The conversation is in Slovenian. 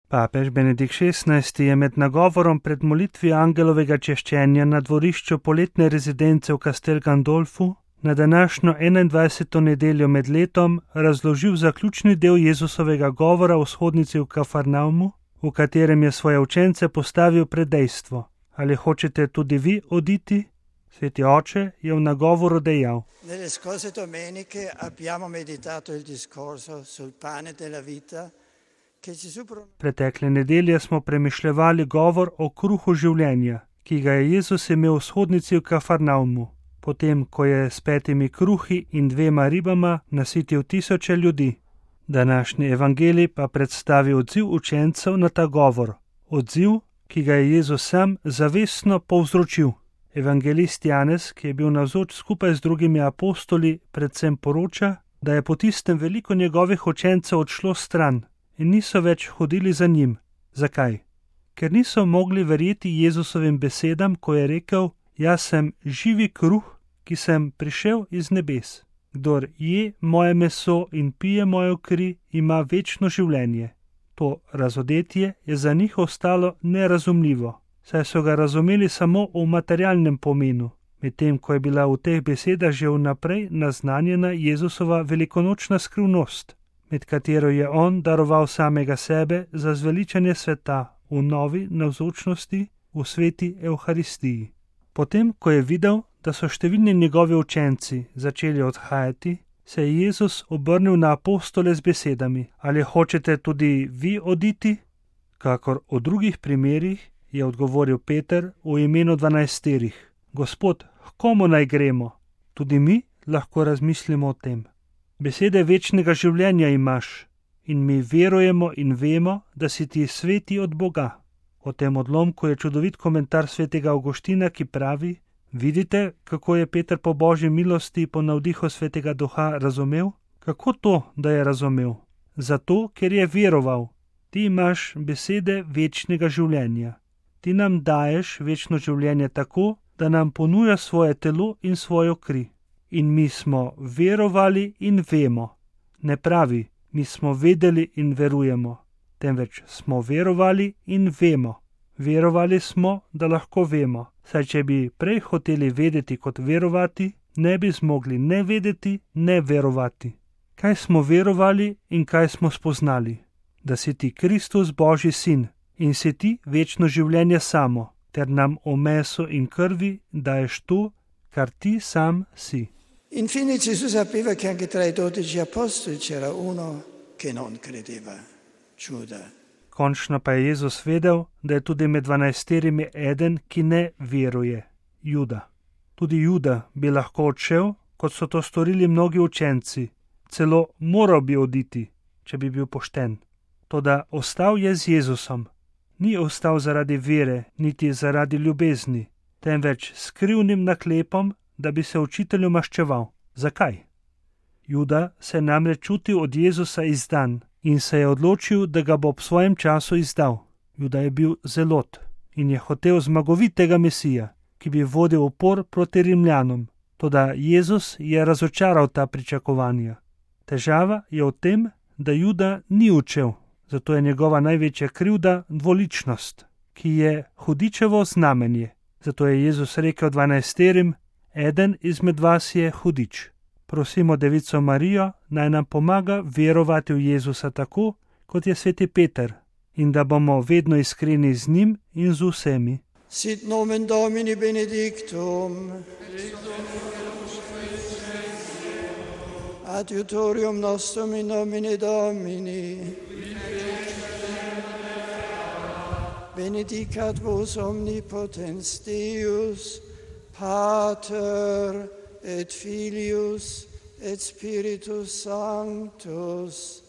Papež Benedikt XVI je med nagovorom pred molitvijo angelovega češčenja na dvorišču poletne rezidence v Castel Gandolfu na današnjo 21. nedeljo med letom razložil zaključni del Jezusovega govora v shodnici v Kafarnaumu, v katerem je svoje učence postavil pred dejstvo: ali hočete tudi vi oditi? Sveti oče je v nagovoru dejal: Nelle scorse domeniche abbiamo meditato il discorso sul pane della vita. Pretekle nedelje smo premišljevali govor o kruhu življenja, ki ga je Jezus imel v shodnici v Kafarnaumu, potem ko je s 5 kruhi in 2 ribama nasitil tisoče ljudi. Današnji evangelij pa predstavi odziv učencev na ta govor, odziv, ki ga je Jezus sam zavestno povzročil. Evangelist Janez, ki je bil navzoč skupaj z drugimi apostoli, predvsem poroča, da je po tistem veliko njegovih učencev odšlo stran in niso več hodili za njim. Zakaj? Ker niso mogli verjeti Jezusovim besedam, ko je rekel: jaz sem živi kruh, ki sem prišel iz nebes. Kdor je moje meso in pije mojo kri, ima večno življenje. To razodetje je za njih ostalo nerazumljivo, saj so ga razumeli samo v materialnem pomenu, medtem ko je bila v teh besedah že vnaprej naznanjena Jezusova velikonočna skrivnost, med katero je on daroval samega sebe za zveličanje sveta v novi navzočnosti v sveti Evharistiji. Potem, ko je videl, da so številni njegovi učenci začeli odhajati, se je Jezus obrnil na apostole z besedami: ali hočete tudi vi oditi? Kakor v drugih primerih je odgovoril Peter v imenu 12: Gospod, h komu naj gremo? Tudi mi lahko razmislimo o tem. Besede večnega življenja imaš in mi verujemo in vemo, da si ti sveti od Boga. O tem odlomku je čudovit komentar svetega Avguština, ki pravi: vidite, kako je Peter po Božji milosti po navdihu svetega Duha razumel? Kako to, da je razumel? Zato, ker je veroval. Ti imaš besede večnega življenja. Ti nam daješ večno življenje tako, da nam ponuja svoje telo in svojo kri. In mi smo verovali in vemo. Ne pravi, mi smo vedeli in verujemo, temveč smo verovali in vemo. Verovali smo, da lahko vemo, saj če bi prej hoteli vedeti kot verovati, ne bi zmogli ne vedeti, ne verovati. Kaj smo verovali in kaj smo spoznali? Da si ti Kristus, Božji sin, in si ti večno življenje samo, ter nam v meso in krvi daješ to, kar ti sam si. Infine Gesù sapeva che anche tra i 12 apostoli c'era uno che non credeva, Giuda. Končno pa je Jezus vedel, da je tudi med 12 eden, ki ne veruje, Juda. Tudi Juda bi lahko odšel, kot so to storili mnogi učenci, celo moral bi oditi, če bi bil pošten. Toda ostal je z Jezusom. Ni ostal zaradi vere, niti zaradi ljubezni, temveč s skrivnim naklepom, da bi se učitelju maščeval. Zakaj? Juda se namreč čutil od Jezusa izdan in se je odločil, da ga bo ob svojem času izdal. Juda je bil zelot in je hotel zmagovitega Mesija, ki bi vodil upor proti Rimljanom. Toda Jezus je razočaral ta pričakovanja. Težava je v tem, da Juda ni učel, zato je njegova največja krivda dvoličnost, ki je hudičevo znamenje. Zato je Jezus rekel 12: eden izmed vas je hudič. Prosimo Devico Marijo, naj nam pomaga verovati v Jezusa tako, kot je sveti Peter, in da bomo vedno iskreni z njim in z vsemi. Sit nomen Domini benedictum. Adiutorium nostrum in nomine Domini. Benedicat vos omnipotens Deus, Pater et Filius et Spiritus Sanctus.